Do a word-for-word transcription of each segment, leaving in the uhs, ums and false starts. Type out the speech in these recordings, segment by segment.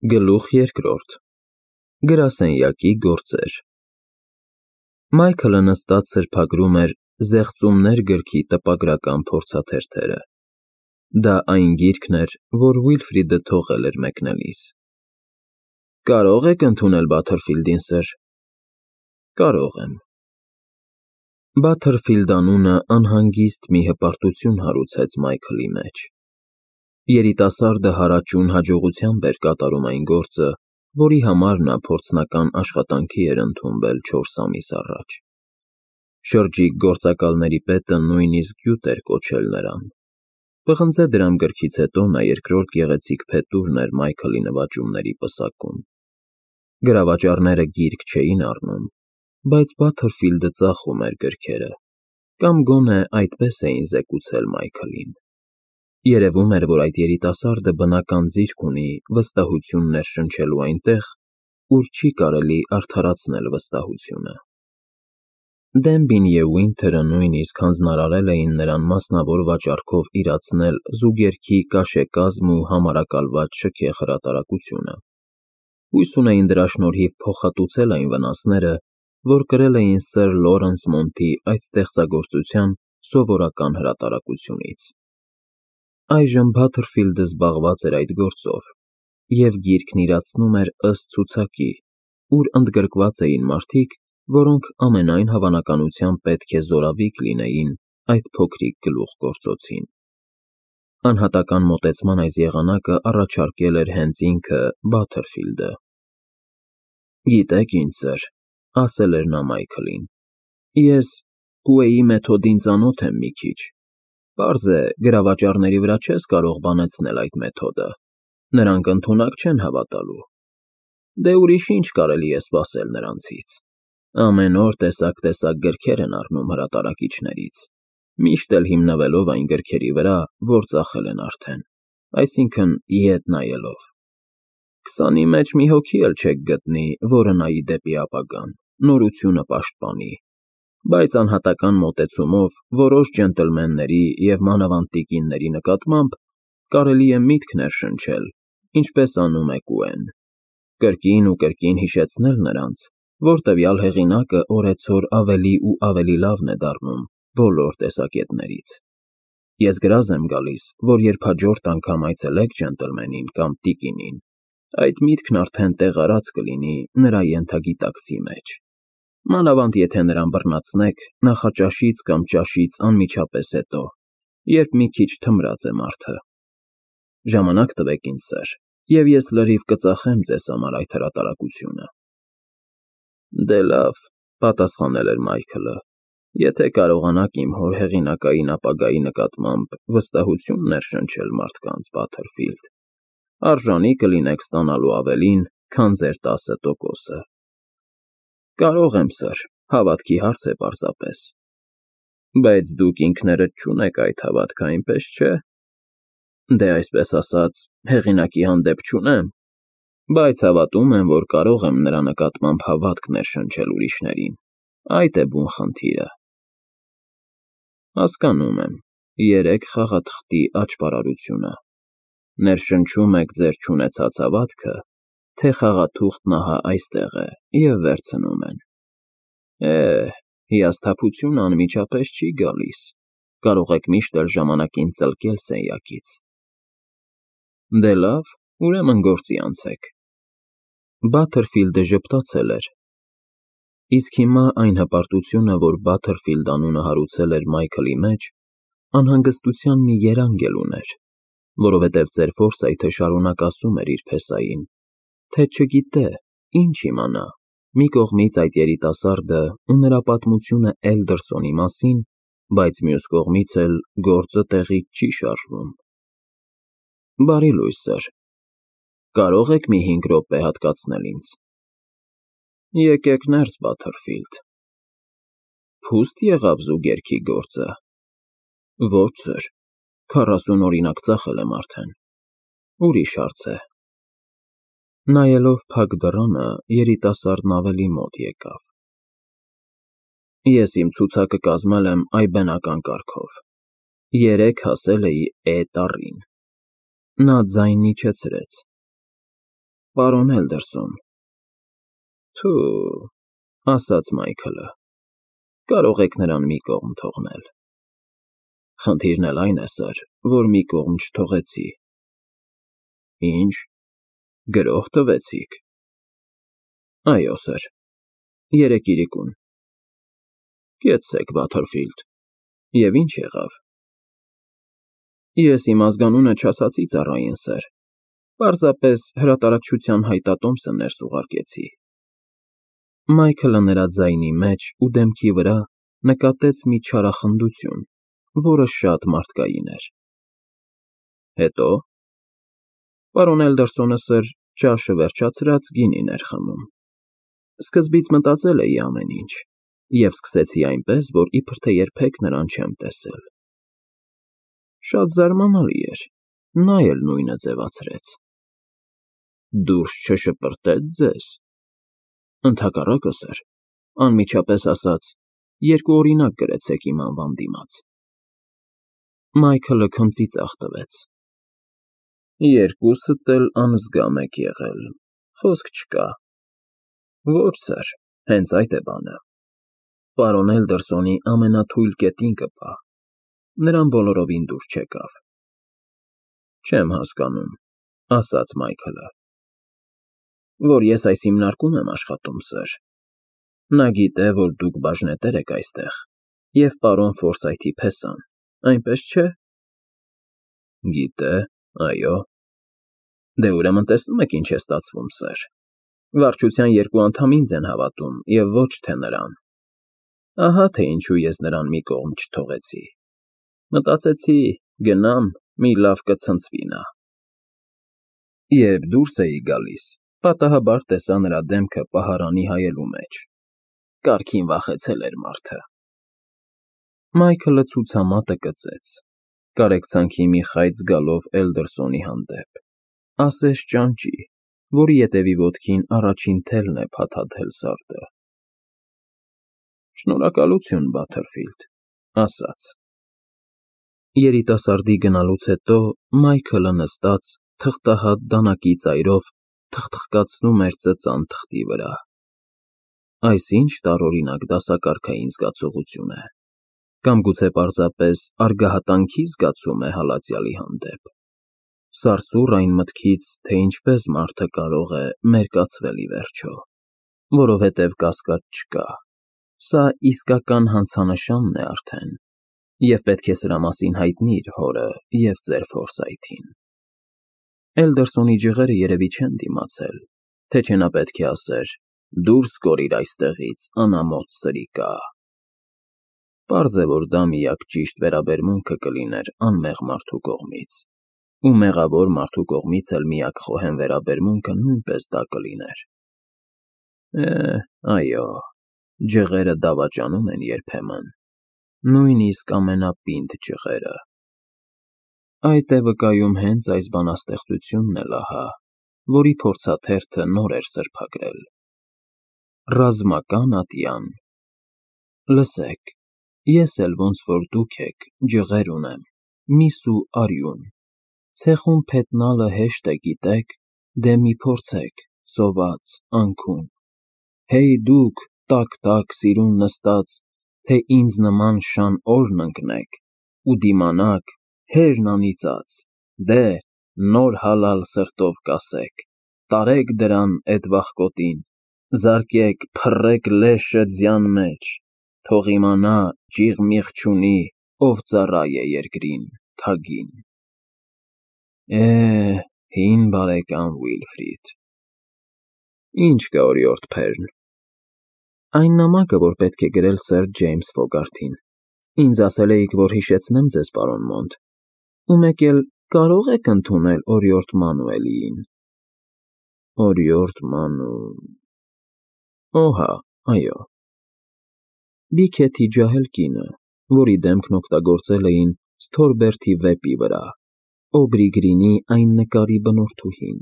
Գլուխ երկրորդ Գրասենյակի գործեր Մայքլը նստած սրբագրում էր «Զեղծումներ» գրքի տպագրական փորձաթերթերը։ Դա այն գիրքն էր, որ Վիլֆրիդը թողել էր մեկնելիս։ Կարո՞ղ եք ընդունել Բաթերֆիլդին, սըր։ Կարող եմ։ Բաթերֆիլդ անունը անհանգիստ մի հպարտություն հարուցեց Մայքլի մեջ։ Երիտասարդը հարաճուն հաջողությամբ էր կատարում այն գործը, որի համար նա փորձնական աշխատանքի էր ընդունվել չորս ամիս առաջ։ Շրջիկ գործակալների պետը նույնիսկ գյուտ էր կոչել նրան։ Պղնձե դրամ գրքից հետո նա երկրորդ գեղեցիկ փետուրն էր Մայքլի նվաճումների պսակում։ Գրավաճառները գիրք չէին առնում, բայց Բաթերֆիլդը ծախում էր գրքերը, կամ գոնե այդպես էին զեկուցել Մայքլին։ Երևում էր, որ այդ երիտասարդը բնական ձիրք ունի վստահություն ներշնչելու այնտեղ, ուր չի կարելի արդարացնել վստահությունը։ Դենբին և Վինթերը նույնիսկ հանձնարարել էին նրան մասնավոր վաճառքով իրացնել զուգերքի կաշեկազմ ու համարակալված շքեղ հրատարակությունը։ Հույս ունեին դրա շնորհիվ փոխհատուցել այն վնասները, որ կրել էին սըր Լորենս Մոնթի այդ ստեղծագործության սովորական հրատարակությունից։ Այժմ Բաթերֆիլդը զբաղված էր այդ գործով, և գիրքն իրացնում էր ըստ ցուցակի, ուր ընդգրկված էին մարդիկ, որոնք ամենայն հավանականությամբ պետք է զորավիկ լինեին այդ փոքրիկ գլուխգործոցին։ Անհատական մոտեցման այս եղանակը առաջարկել էր հենց ինքը Բաթերֆիլդը։ Գիտեք ինչ, սըր, ասել էր նա Մայքլին, ես Կուեի մեթոդին ծանոթ եմ մի քիչ։ Պարզ է, գրավաճառների վրա չես կարող բանեցնել այդ մեթոդը, նրանք ընդունակ չեն հավատալու։ Դե ուրիշ ինչ կարելի է սպասել նրանցից։ Ամեն օր տեսակ֊տեսակ գրքեր են առնում հրատարակիչներից, միշտ էլ հիմնվելով այն գրքերի վրա, որ ծախել են արդեն, այսինքն՝ ետ նայելով։ Քսանի մեջ մի հոգի էլ չեք գտնի, որը նայի դեպի ապագան, նորությունը պաշտպանի, բայց անհատական մոտեցումով որոշ ջենտլմենների և մանավանդ տիկինների նկատմամբ կարելի է միտք ներշնչել, ինչպես անում է Կուեն, կրկին ու կրկին հիշեցնել նրանց, որ տվյալ հեղինակը օրեցօր ավելի ու ավելի լավն է դառնում բոլոր տեսակետներից։ Ես գրազ եմ գալիս, որ երբ հաջորդ անգամ այցելեք ջենտլմենին կամ տիկինին, այդ միտքն արդեն տեղարած կլինի նրա ենթագիտակցի մեջ, մանավանդ եթե նրան բռնացնեք նախաճաշից կամ ճաշից անմիջապես հետո, երբ մի քիչ թմրած է մարդը։ Ժամանակ տվեք ինձ, սըր, և ես լրիվ կծախեմ ձեզ համար այդ հրատարակությունը։ Դե լավ, պատասխանել էր Մայքլը, եթե կարողանաք իմ հոր հեղինակային ապագայի նկատմամբ վստահություն ներշնչել մարդկանց, Բաթերֆիլդ, արժանի կլինեք ստանալու ավելին, քան ձեր տասը տոկոսը։ Կարող եմ, սըր, հավատքի հարց է պարզապես։ Բայց դուք ինքներդ չունեք այդ հավատքը, այնպես չէ։ Դե այսպես ասած, հեղինակի հանդեպ չունեմ, բայց հավատում եմ, որ կարող եմ նրա նկատմամբ հավատք ներշնչել ուրիշներին, այդ է բուն խնդիրը։ Հասկանում եմ, երեք խաղաթղթի աճպարարությունը։ Ներշնչում եք ձեր չունեցած հավատքը, թե խաղաթուղթն ահա այստեղ է և վերցնում են։ Է, հիասթափությունը անմիջապես չի գալիս, կարող եք միշտ էլ ժամանակին ծլկել սենյակից։ Դե լավ, ուրեմն գործի անցեք։ Բաթերֆիլդը ժպտացել էր։ Իսկ հիմա այն հպարտությունը, որ Բաթերֆիլդ անունը հարուցել էր Մայքլի մեջ, անհանգստության մի երանգ էլ ուներ, որովհետև ծեր Ֆորսայթը շարունակ ասում էր իր փեսային, թե չգիտե, ինչ իմանա, մի կողմից այդ երիտասարդը ու նրա պատմությունը Էլդերսոնի մասին, բայց մյուս կողմից էլ գործը տեղից չի շարժվում։ Բարի լույս, սըր, կարող եք մի հինգ րոպե հատկացնել ինձ։ Եկեք ներս, Բաթերֆիլդ։ Փուստ եղավ զուգերքի գործը։ Ոչ, սըր, քառասուն օրինակ ծախել եմ արդեն։ Ուրիշ հարց է։ Նայելով փակ դռանը, երիտասարդն ավելի մոտ եկավ։ Ես իմ ցուցակը կազմել եմ այբենական կարգով։ Երեկ հասել էի Է տառին։ Նա ձայնն իջեցրեց։ պարոն Էլդերսոն։ Թու, ասաց Մայքլը, կարող եք նրան մի կողմ թողնել։ Խնդիրն էլ այն է, սըր, որ մի կողմ չթողեցի։ Ինչ, գրող տվեցիք։ Այո, սըր, երեկ իրիկուն։ Կեցցեք, Բաթերֆիլդ, և ինչ եղավ։ Ես իմ ազգանունը չասացի ծառային, սըր, պարզապես հրատարակչության հայտատոմսը ներս ուղարկեցի։ Մայքլը նրա ձայնի մեջ ու դեմքի վրա նկատեց մի չարախնդություն, որը շատ մարդկային էր։ Հետո։ Պարոն Էլդերսոնը, սըր, ճաշը վերջացրած գինին էր խմում։ Սկզբից մտածել էի ամեն ինչ, և սկսեցի այնպես, որ իբր թե երբեք նրան չեմ տեսել։ Շատ զարմանալի էր, նա էլ նույնը ձևացրեց։ Դուրս չշպրտե՞ց ձեզ։ Ընդհակառակը, սըր, անմիջապես ասաց, երկու օրինակ գրեցեք իմ անվան դիմաց։ Մայքլը քնծի ծախ տվեց։ Երկուսդ էլ անզգամ եք եղել, խոսք չկա։ Ոչ, սըր, հենց այդ է բանը։ Պարոն Էլդերսոնի ամենաթույլ կետին կպա, նրան բոլորովին դուր չեկավ։ Չեմ հասկանում, ասաց Մայքլը, որ ես այս հիմնարկում եմ աշխատում, սըր։ Նա գիտե, որ դուք բաժնետեր եք այստեղ և պարոն Ֆորսայթի փեսան, այնպես չէ։ Գիտե, այո։ Դե ուրեմն տեսնում եք ինչ է ստացվում, սըր։ Վարչության երկու անդամ ինձ են հավատում և ոչ թե նրան։ Ահա թե ինչու ես նրան մի կողմ չթողեցի։ Մտածեցի, գնամ, մի լավ կցնցվի նա։ Երբ դուրս էի գալիս, պատահաբար տեսա նրա դեմքը պահարանի հայելու մեջ։ Կարգին վախեցել էր մարդը։ Մայքլը ցուցամատը կծեց, կարեկցանքի մի խայծ գալով Էլդերսոնի հանդեպ, ասես ճանճի, որի ետևի ոտքին առաջին թելն է փաթաթել սարդը։ Շնորհակալություն, Բաթերֆիլդ, ասաց։ Երիտասարդի գնալուց հետո Մայքլը նստած թղթահատ դանակի ծայրով թխթխկացնում էր ծծան թղթի վրա։ Այս ինչ տարօրինակ դասակարգային զգացողություն է, կամ գուցե պարզապես արգահատանքի զգացում է հալածյալի հանդեպ։ Սարսուռ այն մտքից, թե ինչպես մարդը կարող է մերկացվել ի վերջո, որովհետև կասկած չկա, սա իսկական հանցանշանն է արդեն, և պետք է սրա մասին հայտնիր հորը և ձեր Ֆորսայթին։ Էլդերսոնի ջղերը երևի չեն դիմացել, թե չէ նա պետք է ասեր. դուրս կորիր այստեղից, անամոթ սրիկա։ Պարզ է, որ դա միակ ճիշտ վերաբերմունքը կլիներ անմեղ մարդու կողմից, ու մեղավոր մարդու կողմից էլ միակ խոհեմ վերաբերմունքը նույնպես դա կլիներ։ Է, այո, ջղերը դավաճանում են երբեմն, նույնիսկ ամենապինդ ջղերը։ Այդ է վկայում հենց այս բանաստեղծությունն էլ ահա, որի փորձաթերթը նոր էր սրբագրել։ Ռազմական ատյան։ Լսեք, ես էլ ոնց որ դուք եք, ջղեր ունեմ, միս ու արյուն, ցեխում փետնալը հեշտ է, գիտեք, դե մի փորձեք, սոված, անքուն, հեյ դուք, տաք-տաք սիրուն նստած, թե ինձ նման շան օրն ընկնեք, ու դիմանաք, հերն անիծած, դե, նոր հալալ սրտով կասեք, տարեք դրան էդ վախկոտին, զարկեք, փռեք լեշը ձյան մեջ, թող իմանա, ջիղ-միղ չունի, ով ծառայ է երկրին, թագին։ Է, հին բարեկամ Վիլֆրիդ։ Ինչ կա օրիորդ Փերն։ Այն նամակը, որ պետք է գրել սըր Ջեյմս Ֆոգարթին, ինձ ասել էիք, որ հիշեցնեմ ձեզ, պարոն Մոնտ, ու մեկ էլ կարո՞ղ եք ընդունել օրիորդ Մանուելիին։ Օրիորդ Մանու… Օհա, այո։ Բիքեթի ջահել կինը, որի դեմքն օգտագործել էին Սթորբերթի վեպի վրա, Օբրի Գրինի այն նկարի բնորդուհին։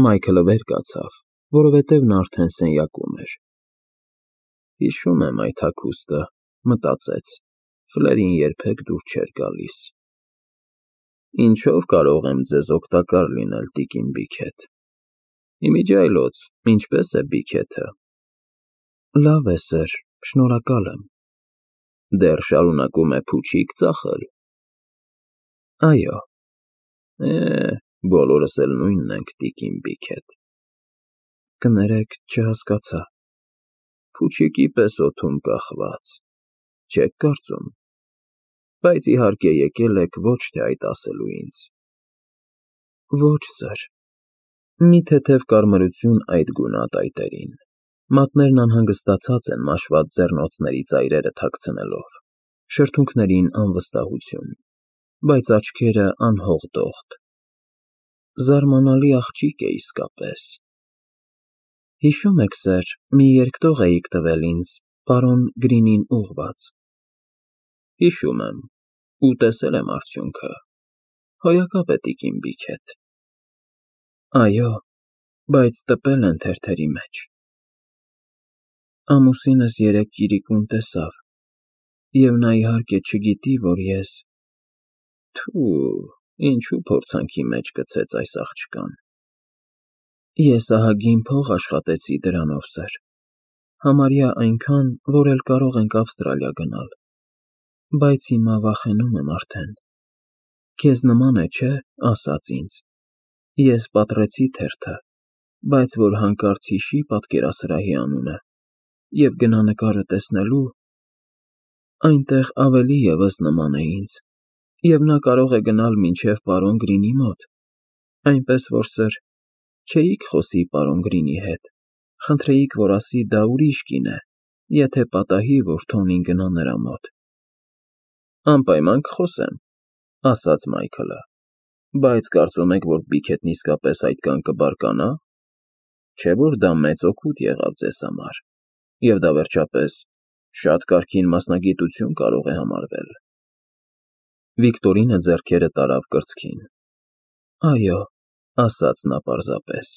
Մայքլը վեր կացավ, որովհետև նա արդեն սենյակում էր։ Հիշում եմ այդ հագուստը, մտածեց, Ֆլերին երբեք դուր չէր գալիս։ Ինչով կարող եմ ձեզ օգտակար լինել, տիկին Բիքեթ։ Իմիջիայլոց, ինչպես է բիքեթը։ Լավ է, սըր, շնորհակալ եմ։ Դեռ շարունակում է փուչիկ ծախել։ Այո։ Է, բոլորս էլ նույնն ենք, տիկին Բիքեթ։ Կներեք, չհասկացա։ Փուչիկի պես օդում կախված, չեք կարծում։ Բայց իհարկե եկել եք ոչ թե այդ ասելու ինձ։ Ոչ, սըր։ Մի թեթև կարմրություն այդ գունատայտերին։ Մատներն անհանգստացած են մաշված ձեռնոցների ծայրերը թաքցնելով, շրթունքներին անվստահություն, բայց աչքերը անհողդողդ։ Զարմանալի աղջիկ է իսկապես։ Հիշո՞ւմ եք, սըր, մի երկտող էիք տվել ինձ, պարոն Գրինին ուղղված։ Հիշում եմ, ու տեսել եմ արդյունքը։ Հոյակապ է, տիկին Բիքեթ։ Այո, բայց տպել են թերթերի մեջ։ Ամուսինս երեկ ճիրիկուն տեսավ, և նա իհարկե չգիտի, որ ես… Թու, ինչու փորձանքի մեջ գցեց այս աղջկան։ Ես ահագին փող աշխատեցի դրանով, սըր, համարյա այնքան, որ էլ կարող ենք Ավստրալիա գնալ, բայց հիմա վախենում եմ արդեն։ Քեզ նման է, չէ՞, ասաց ինձ։ Ես պատռեցի թերթը, բայց որ հանկարծ հիշի պատկերասրահի անունը և գնա նկարը տեսնելու… Այնտեղ ավելի ևս նման է ինձ, և նա կարող է գնալ մինչև պարոն Գրինի մոտ, այնպես որ, սըր, չէիք խոսի պարոն Գրինի հետ, խնդրեիք, որ ասի դա ուրիշ կին է, եթե պատահի, որ Թոնին գնա նրա մոտ։ Անպայման կխոսեմ, ասաց Մայքլը, բայց կարծում եք, որ Բիքեթն իսկապես այդքան կբարկանա, չէ՞ որ դա մեծ օգուտ եղավ ձեզ համար, և դա, վերջապես, շատ կարգին մասնագիտություն կարող է համարվել։ Վիկտորինը ձեռքերը տարավ կրծքին։ Այո, ասաց նա պարզապես,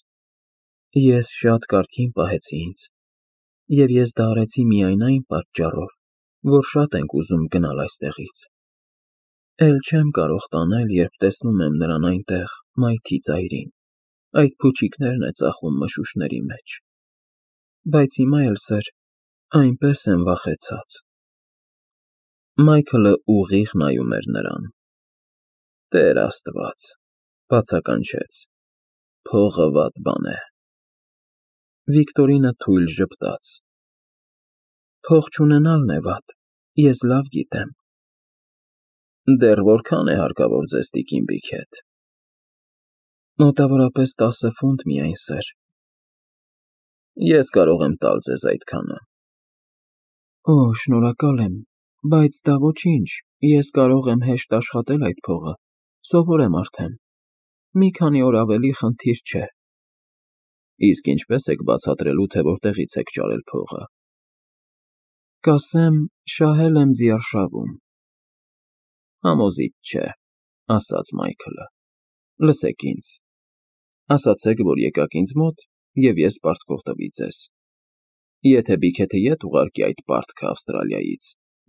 ես շատ կարգին պահեցի ինձ, և ես դա արեցի միայն այն պատճառով, որ շատ ենք ուզում գնալ այստեղից։ Էլ չեմ կարող տանել, երբ տեսնում եմ նրան այնտեղ, մայթի ծայրին, այդ փուչիկներն է ծախում մշուշների մեջ։ Բայց հիմա էլ, սըր, այնպես եմ վախեցած։ Մայքլը ուղիղ նայում էր նրան։ Տեր Աստված, բացականչեց, փողը վատ բան է։ Վիկտորինը թույլ ժպտաց։ Փող չունենալն է վատ, ես լավ գիտեմ։ Դեռ որքա՞ն է հարկավոր ձեզ, տիկին Բիքեթ։ Մոտավորապես տասը ֆունտ միայն, սըր։ Ես կարող եմ տալ ձեզ այդքանը։ Օ, շնորհակալ եմ, բայց դա ոչինչ, ես կարող եմ հեշտ աշխատել այդ փողը, սովոր եմ արդեն։ Մի քանի օր ավելի խնդիր չէ։ Իսկ ինչպե՞ս եք բացատրելու, թե որտեղից եք ճարել փողը։ Կասեմ, շահել եմ ձիարշավում։ Համոզիչ չէ, ասաց Մայքլը։ Լսեք ինձ։ Ասացեք, որ եկաք ինձ մոտ, և ես պարտքով տվի ձեզ։ Եթե Բիքեթը ետ ուղարկի այդ պարտքը Ավստրալիայից,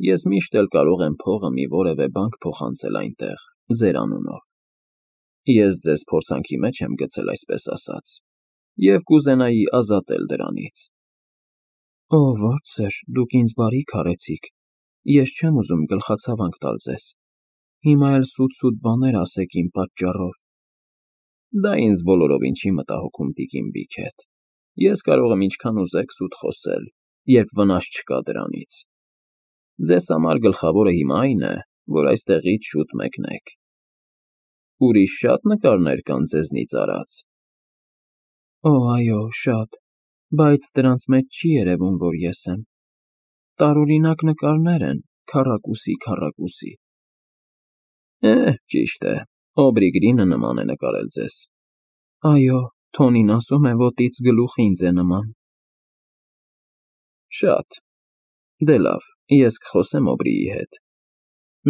ես միշտ էլ կարող եմ փողը մի որևէ բանկ փոխանցել այնտեղ, ձեր անունով։ Ես ձեզ փորձանքի մեջ եմ գցել, այսպես ասած, և կուզենայի ազատել դրանից։ Օ, ոչ, սըր, դուք ինձ բարիք արեցիք, ես չեմ ուզում գլխացավանք տալ ձեզ։ Հիմա էլ սուտ-սուտ բաներ ասեք իմ պատճառով։ Դա ինձ բոլորովին չի մտահոգում, տիկին Բիքեթ։ Ես կարող եմ ինչքան ուզեք սուտ խոսել, երբ վնաս չկա դրանից։ Ձեզ համար գլխավորը հիմա այն է, որ այստեղից շուտ մեկնեք։ Ուրիշ շատ նկարներ կան ձեզնից արած։ Օ, այո, շատ, բայց դրանց մեջ չի երևում, որ ես եմ։ Տարօրինակ նկարներ են, քառակուսի, քառակուսի։ Է, ճիշտ է, Օբրի Գրինը նման է նկարել ձեզ։ Այո, Թոնին ասում է, ոտից գլուխ ինձ է նման։ Շատ։ Դե լավ, ես կխոսեմ Օբրիի հետ։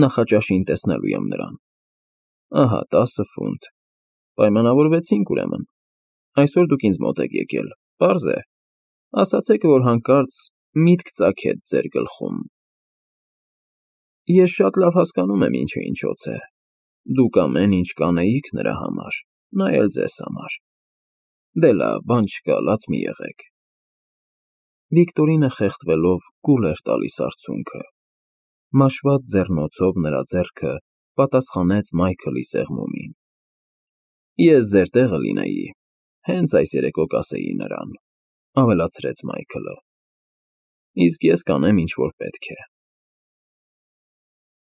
Նախաճաշին տեսնելու եմ նրան։ Ահա տասը ֆունտ։ Պայմանավորվեցինք, ուրեմն։ Այսօր դուք ինձ մոտ եք եկել, պարզ է։ Ասացեք, որ հանկարծ միտք ծագեց ձեր գլխում։ Ես շատ լավ հասկանում եմ ինչը ինչոց է։ Դուք ամեն ինչ կանեիք նրա համար, նա էլ ձեզ համար։ Դե լավ, բան չկա, լաց մի եղեք։ Վիկտորինը խեղդվելով կուլ էր տալիս արցունքը։ Մաշված ձեռնոցով նրա ձեռքը պատասխանեց Մայքլի սեղմումին։ Ես ձեր տեղը լինեի, հենց այս երեկո կասեի նրան, ավելացրեց Մայքլը։ Իսկ ես կանեմ, ինչ որ պետք է։